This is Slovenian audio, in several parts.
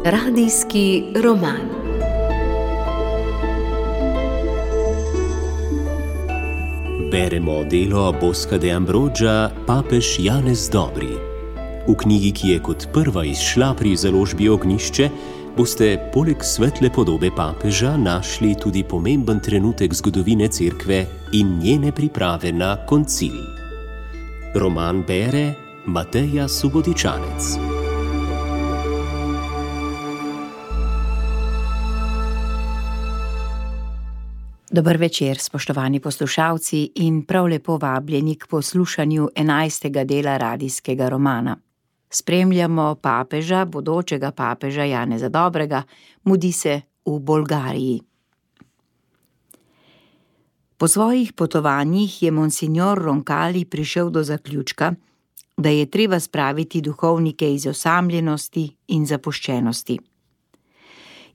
Radijski roman. Beremo delo Bosca de Ambroggia Papež Janez Dobri. V knjigi, ki je kot prva izšla pri založbi Ognjišče, boste poleg svetle podobe papeža našli tudi pomemben trenutek zgodovine Cerkve in njene priprave na koncil. Roman bere Mateja Subotičanec. Dober večer, spoštovani poslušalci, in prav lepo vabljeni k poslušanju 11. dela radijskega romana. Spremljamo papeža, bodočega papeža Janeza Dobrega, mudi se v Bolgariji. Po svojih potovanjih je monsignor Roncalli prišel do zaključka, da je treba spraviti duhovnike iz osamljenosti in zapuščenosti.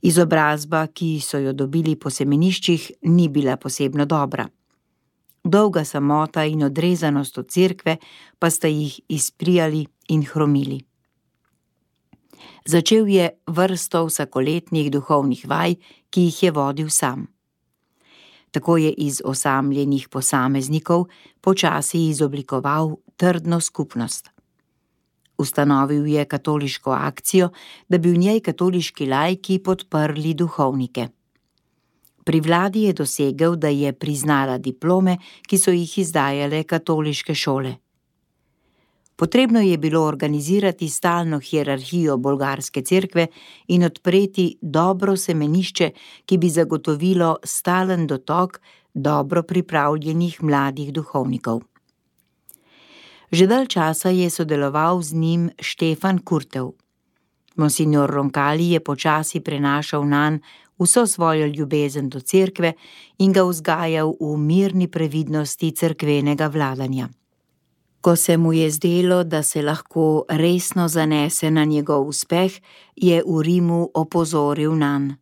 Izobrazba, ki so jo dobili po semeniščih, ni bila posebno dobra. Dolga samota in odrezanost od cerkve pa sta jih izprijali in hromili. Začel je vrsto vsakoletnih duhovnih vaj, ki jih je vodil sam. Tako je iz osamljenih posameznikov počasi izoblikoval trdno skupnost. Ustanovil je katoliško akcijo, da bi v njej katoliški laiki podprli duhovnike. Pri vladi je dosegel, da je priznala diplome, ki so jih izdajale katoliške šole. Potrebno je bilo organizirati stalno hierarhijo bolgarske cerkve in odpreti dobro semenišče, ki bi zagotovilo stalen dotok dobro pripravljenih mladih duhovnikov. Že dalj časa je sodeloval z njim Štefan Kurtev. Monsignor Roncalli je počasi prenašal nanj vso svojo ljubezen do cerkve in ga vzgajal v mirni previdnosti cerkvenega vladanja. Ko se mu je zdelo, da se lahko resno zanese na njegov uspeh, je v Rimu opozoril nanj.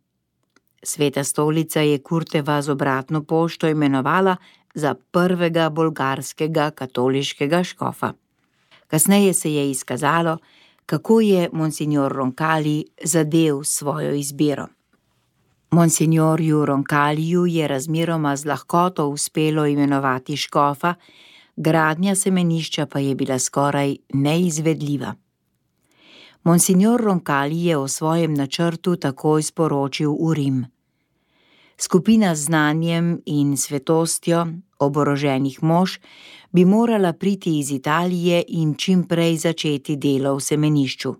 Sveta stolica je Kurteva z obratno pošto imenovala za prvega bolgarskega katoliškega škofa. Kasneje se je izkazalo, kako je monsignor Roncalli zadel svojo izbiro. Monsignorju Roncalliju je razmeroma z lahkoto uspelo imenovati škofa, gradnja semenišča pa je bila skoraj neizvedljiva. Monsignor Roncalli je o svojem načrtu takoj sporočil v Rim. Skupina z znanjem in svetostjo oboroženih mož bi morala priti iz Italije in čim prej začeti delo v semenišču.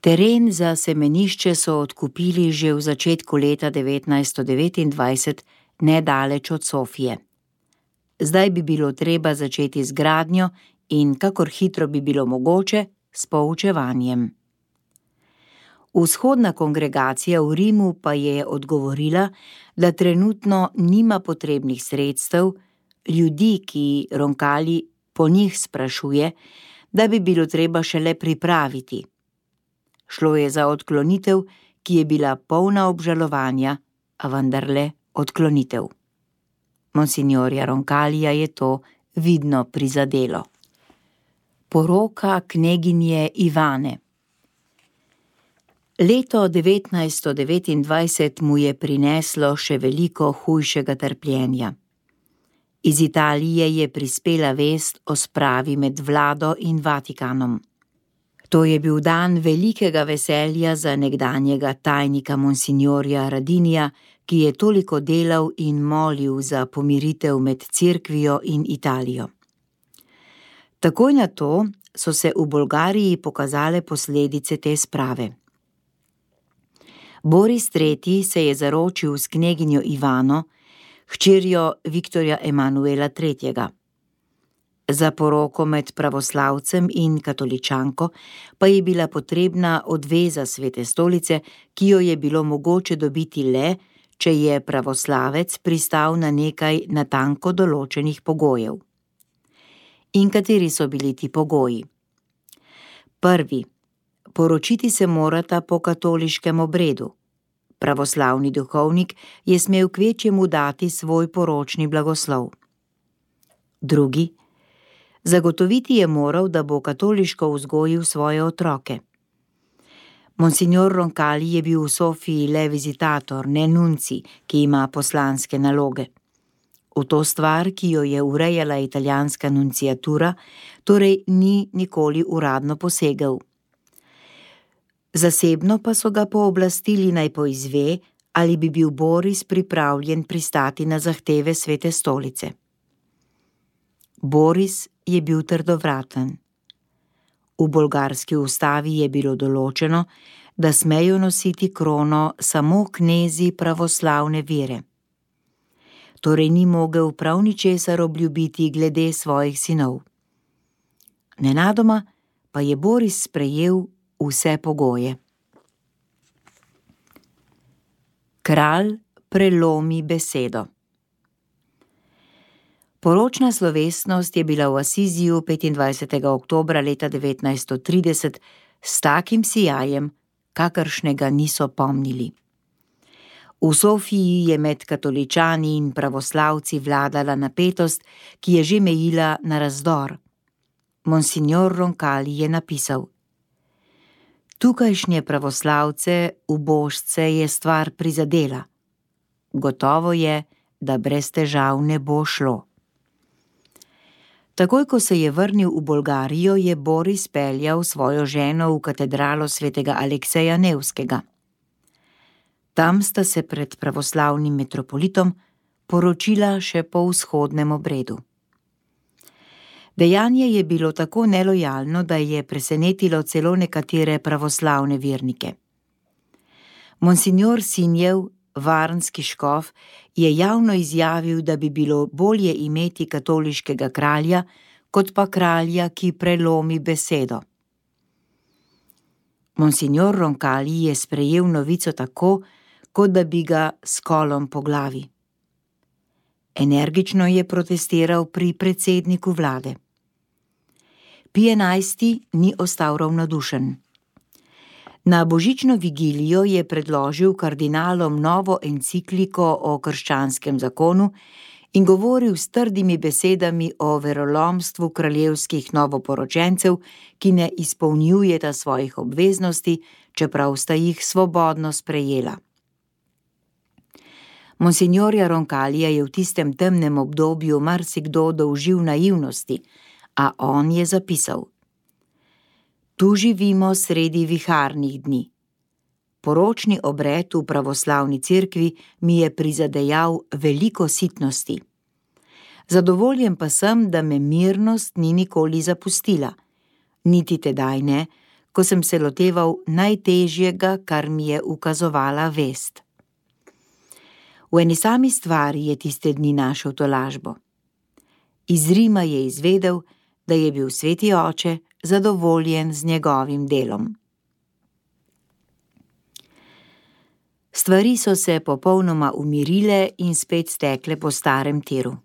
Teren za semenišče so odkupili že v začetku leta 1929, nedaleč od Sofije. Zdaj bi bilo treba začeti z gradnjo in kakor hitro bi bilo mogoče s poučevanjem. Vzhodna kongregacija v Rimu pa je odgovorila, da trenutno nima potrebnih sredstev, ljudi, ki Roncalli po njih sprašuje, da bi bilo treba šele pripraviti. Šlo je za odklonitev, ki je bila polna obžalovanja, a vendarle odklonitev. Monsignorja Roncallija je to vidno prizadelo. Poroka kneginje Ivane. Leto 1929 mu je prineslo še veliko hujšega trpljenja. Iz Italije je prispela vest o spravi med vlado in Vatikanom. To je bil dan velikega veselja za nekdanjega tajnika monsignorja Radinija, ki je toliko delal in molil za pomiritev med cerkvijo in Italijo. Takoj na to so se v Bolgariji pokazale posledice te sprave. Boris III. Se je zaročil s kneginjo Ivano, hčerjo Viktorja Emanuela III. Za poroko med pravoslavcem in katoličanko pa je bila potrebna odveza Svete stolice, ki jo je bilo mogoče dobiti le, če je pravoslavec pristal na nekaj natanko določenih pogojev. In kateri so bili ti pogoji? Prvi. Poročiti se morata po katoliškem obredu. Pravoslavni duhovnik je smel kvečjemu dati svoj poročni blagoslov. Drugi. Zagotoviti je moral, da bo katoliško vzgojil svoje otroke. Monsignor Roncalli je bil v Sofiji le vizitator, ne nunci, ki ima poslanske naloge. V to stvar, ki jo je urejala italijanska nunciatura, torej ni nikoli uradno posegel. Zasebno pa so ga pooblastili naj poizve, ali bi bil Boris pripravljen pristati na zahteve Svete stolice. Boris je bil trdovraten. V bolgarski ustavi je bilo določeno, da smejo nositi krono samo knezi pravoslavne vere. Torej ni mogel prav ničesar obljubiti glede svojih sinov. Nenadoma pa je Boris sprejel vse pogoje. Kralj prelomi besedo. Poročna slovesnost je bila v Asiziju 25. oktobra leta 1930 s takim sijajem, kakršnega niso pomnili. V Sofiji je med katoličani in pravoslavci vladala napetost, ki je že mejila na razdor. Monsignor Roncalli je napisal: Tukajšnje pravoslavce, ubožce je stvar prizadela. Gotovo je, da brez težav ne bo šlo. Takoj, ko se je vrnil v Bolgarijo, je Boris peljal svojo ženo v katedralo svetega Alekseja Nevskega. Tam sta se pred pravoslavnim metropolitom poročila še po vzhodnem obredu. Dejanje je bilo tako nelojalno, da je presenetilo celo nekatere pravoslavne vernike. Monsignor Sinjev, varnski škof, je javno izjavil, da bi bilo bolje imeti katoliškega kralja, kot pa kralja, ki prelomi besedo. Monsignor Roncalli je sprejel novico tako, kot da bi ga s kolom po glavi. Energično je protestiral pri predsedniku vlade. Pije XI ni ostal ravnodušen. Na božično vigilijo je predložil kardinalom novo encikliko o krščanskem zakonu in govoril s trdimi besedami o verolomstvu kraljevskih novoporočencev, ki ne izpolnjujeta svojih obveznosti, čeprav sta jih svobodno sprejela. Monsignorja Roncallija je v tistem temnem obdobju marsikdo dolžil naivnosti, a on je zapisal: Tu živimo sredi viharnih dni. Poročni obred v pravoslavni cerkvi mi je prizadejal veliko sitnosti. Zadovoljen pa sem, da me mirnost ni nikoli zapustila, niti tedaj ne, ko sem se loteval najtežjega, kar mi je ukazovala vest. V eni sami stvari je tiste dni našel tolažbo. Iz Rima je izvedel, da je bil sveti oče zadovoljen z njegovim delom. Stvari so se popolnoma umirile in spet stekle po starem tiru.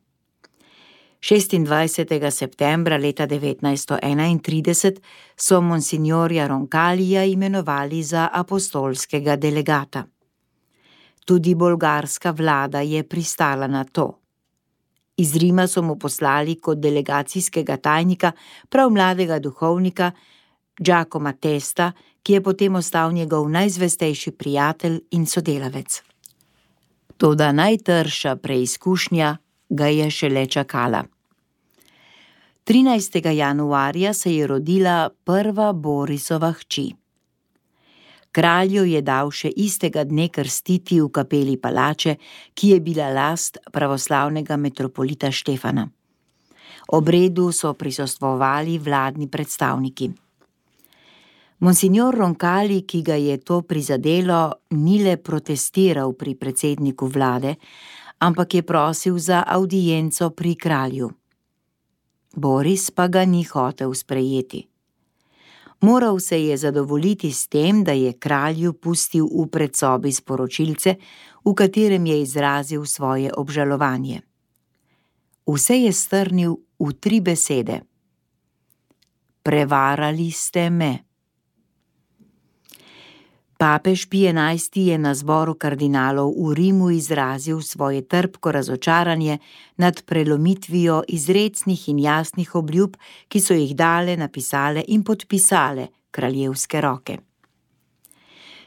26. septembra leta 1931 so monsignorja Roncallija imenovali za apostolskega delegata. Tudi bolgarska vlada je pristala na to. Iz Rima so mu poslali kot delegacijskega tajnika prav mladega duhovnika Giacomo Testa, ki je potem ostal njegov najzvestejši prijatelj in sodelavec. Toda najtrša preizkušnja ga je šele čakala. 13. januarja se je rodila prva Borisova hči. Kralj jo je dal še istega dne krstiti v kapeli palače, ki je bila last pravoslavnega metropolita Štefana. Obredu so prisostvovali vladni predstavniki. Monsignor Roncalli, ki ga je to prizadelo, ni le protestiral pri predsedniku vlade, ampak je prosil za avdienco pri kralju. Boris pa ga ni hotel sprejeti. Moral se je zadovoljiti s tem, da je kralju pustil v predsobi sporočilce, v katerem je izrazil svoje obžalovanje. Vse je strnil v 3 besede: Prevarali ste me. Papež Pij XI je na zboru kardinalov v Rimu izrazil svoje trpko razočaranje nad prelomitvijo izrecnih in jasnih obljub, ki so jih dale, napisale in podpisale kraljevske roke.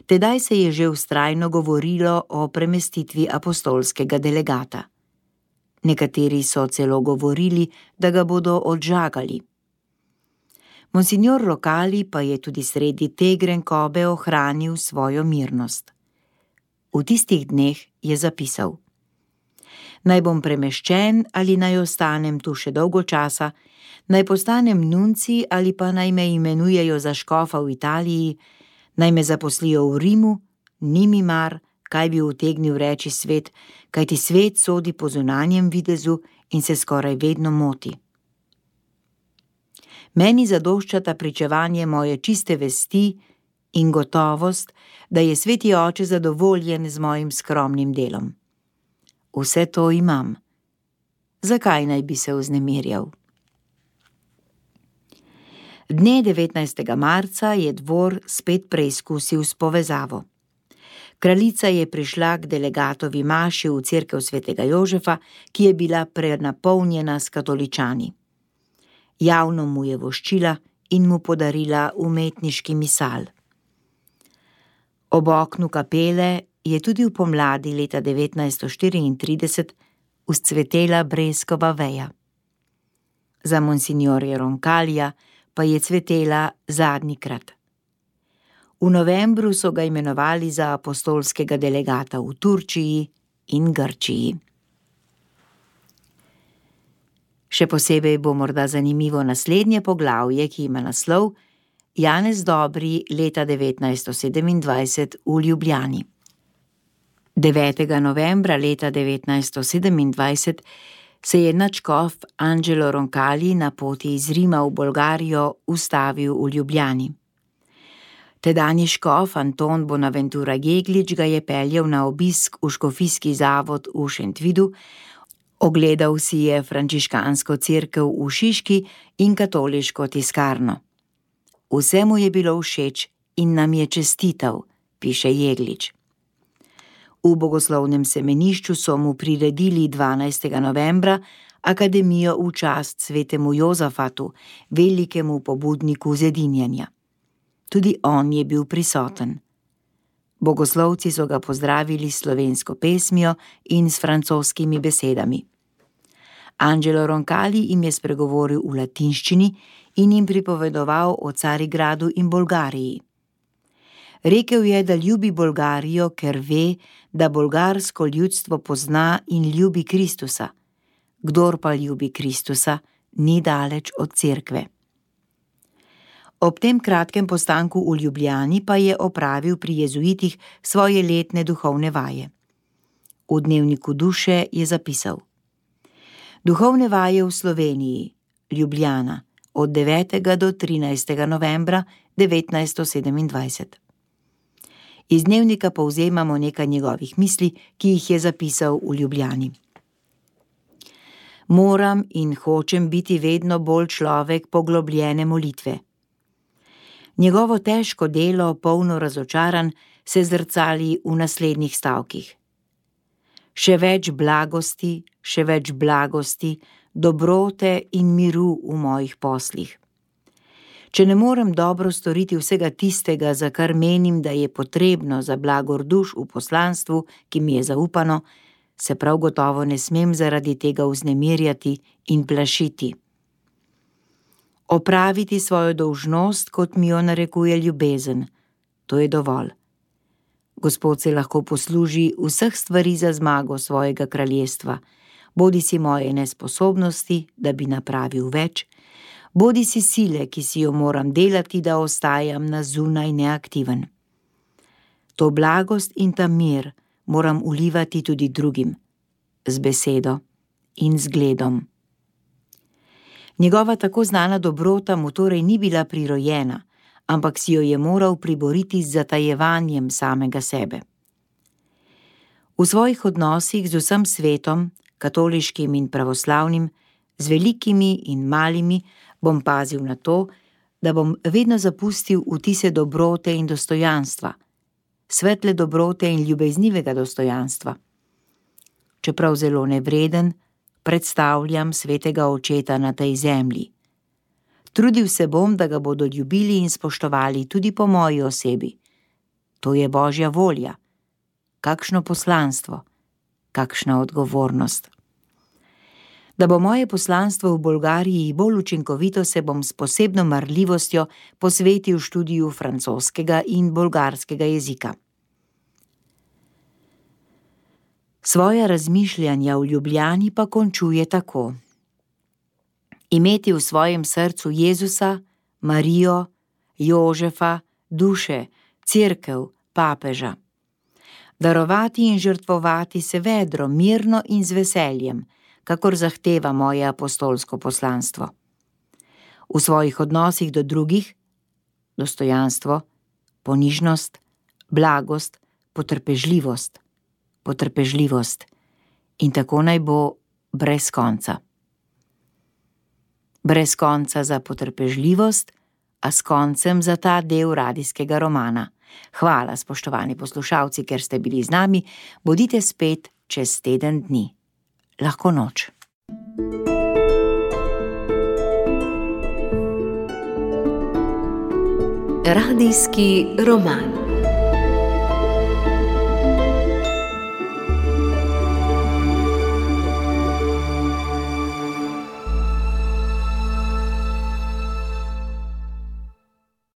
Tedaj se je že vztrajno govorilo o premestitvi apostolskega delegata. Nekateri so celo govorili, da ga bodo odžagali. Monsignor Roncalli pa je tudi sredi te grenkobe ohranil svojo mirnost. V tistih dneh je zapisal: Naj bom premeščen ali naj ostanem tu še dolgo časa, naj postanem nunci ali pa naj me imenujejo za škofa v Italiji, naj me zaposlijo v Rimu, ni mi mar, kaj bi utegnil reči svet, kajti svet sodi po zunanjem videzu in se skoraj vedno moti. Meni zadoščata pričevanje moje čiste vesti in gotovost, da je sveti oče zadovoljen z mojim skromnim delom. Vse to imam. Zakaj naj bi se vznemirjal? Dne 19. marca je dvor spet preizkusil s povezavo. Kraljica je prišla k delegatovi maši v cerkev svetega Jožefa, ki je bila prenapolnjena s katoličani. Javno mu je voščila in mu podarila umetniški misal. Ob oknu kapele je tudi v pomladi leta 1934 vzcvetela breskova veja. Za monsignorja Roncallija pa je cvetela zadnjikrat. V novembru so ga imenovali za apostolskega delegata v Turčiji in Grčiji. Še posebej bo morda zanimivo naslednje poglavje, ki ima naslov Janez Dobri leta 1927 v Ljubljani. 9. novembra leta 1927 se je nadškof Angelo Roncalli na poti iz Rima v Bolgarijo ustavil v Ljubljani. Tedanji škof Anton Bonaventura Jeglič ga je peljal na obisk v škofijski zavod v Šentvidu, ogledal si je frančiškansko cerkev v Šiški in katoliško tiskarno. Vse mu je bilo všeč in nam je čestital, piše Jeglič. V bogoslovnem semenišču so mu priredili 12. novembra akademijo v čast svetemu Jozafatu, velikemu pobudniku zedinjenja. Tudi on je bil prisoten. Bogoslovci so ga pozdravili s slovensko pesmijo in s francoskimi besedami. Angelo Roncalli jim je spregovoril v latinščini in jim pripovedoval o Carigradu in Bolgariji. Rekel je, da ljubi Bolgarijo, ker ve, da bolgarsko ljudstvo pozna in ljubi Kristusa. Kdor pa ljubi Kristusa, ni daleč od cerkve. Ob tem kratkem postanku v Ljubljani pa je opravil pri jezuitih svoje letne duhovne vaje. V dnevniku duše je zapisal: Duhovne vaje v Sloveniji, Ljubljana, od 9. do 13. novembra 1927. Iz dnevnika povzemamo nekaj njegovih misli, ki jih je zapisal v Ljubljani. Moram in hočem biti vedno bolj človek poglobljene molitve. Njegovo težko delo, polno razočaranj, se zrcali v naslednjih stavkih. Še več blagosti, dobrote in miru v mojih poslih. Če ne morem dobro storiti vsega tistega, za kar menim, da je potrebno za blagor duš v poslanstvu, ki mi je zaupano, se prav gotovo ne smem zaradi tega vznemirjati in plašiti. Opraviti svojo dolžnost, kot mi jo narekuje ljubezen, to je dovolj. Gospod se lahko posluži vseh stvari za zmago svojega kraljestva, bodisi moje nesposobnosti, da bi napravil več, bodisi sile, ki si jo moram delati, da ostajam na zunaj neaktiven. To blagost in ta mir moram ulivati tudi drugim, z besedo in zgledom. Njegova tako znana dobrota mu torej ni bila prirojena, ampak si jo je moral priboriti z zatajevanjem samega sebe. V svojih odnosih z vsem svetom, katoliškim in pravoslavnim, z velikimi in malimi, bom pazil na to, da bom vedno zapustil vtise dobrote in dostojanstva, svetle dobrote in ljubeznivega dostojanstva. Čeprav zelo nevreden, predstavljam svetega očeta na tej zemlji. Trudil se bom, da ga bodo ljubili in spoštovali tudi po moji osebi. To je Božja volja. Kakšno poslanstvo, kakšna odgovornost. Da bo moje poslanstvo v Bolgariji bolj učinkovito, se bom s posebno marljivostjo posvetil študiju francoskega in bolgarskega jezika. Svoja razmišljanja v Ljubljani pa končuje tako. Imeti v svojem srcu Jezusa, Marijo, Jožefa, duše, cerkev, papeža. Darovati in žrtvovati se vedro, mirno in z veseljem, kakor zahteva moje apostolsko poslanstvo. V svojih odnosih do drugih, dostojanstvo, ponižnost, blagost, potrpežljivost in tako naj bo brez konca. Brez konca za potrpežljivost, a s koncem za ta del radijskega romana. Hvala, spoštovani poslušalci, ker ste bili z nami. Bodite spet čez teden dni. Lahko noč. Radijski roman.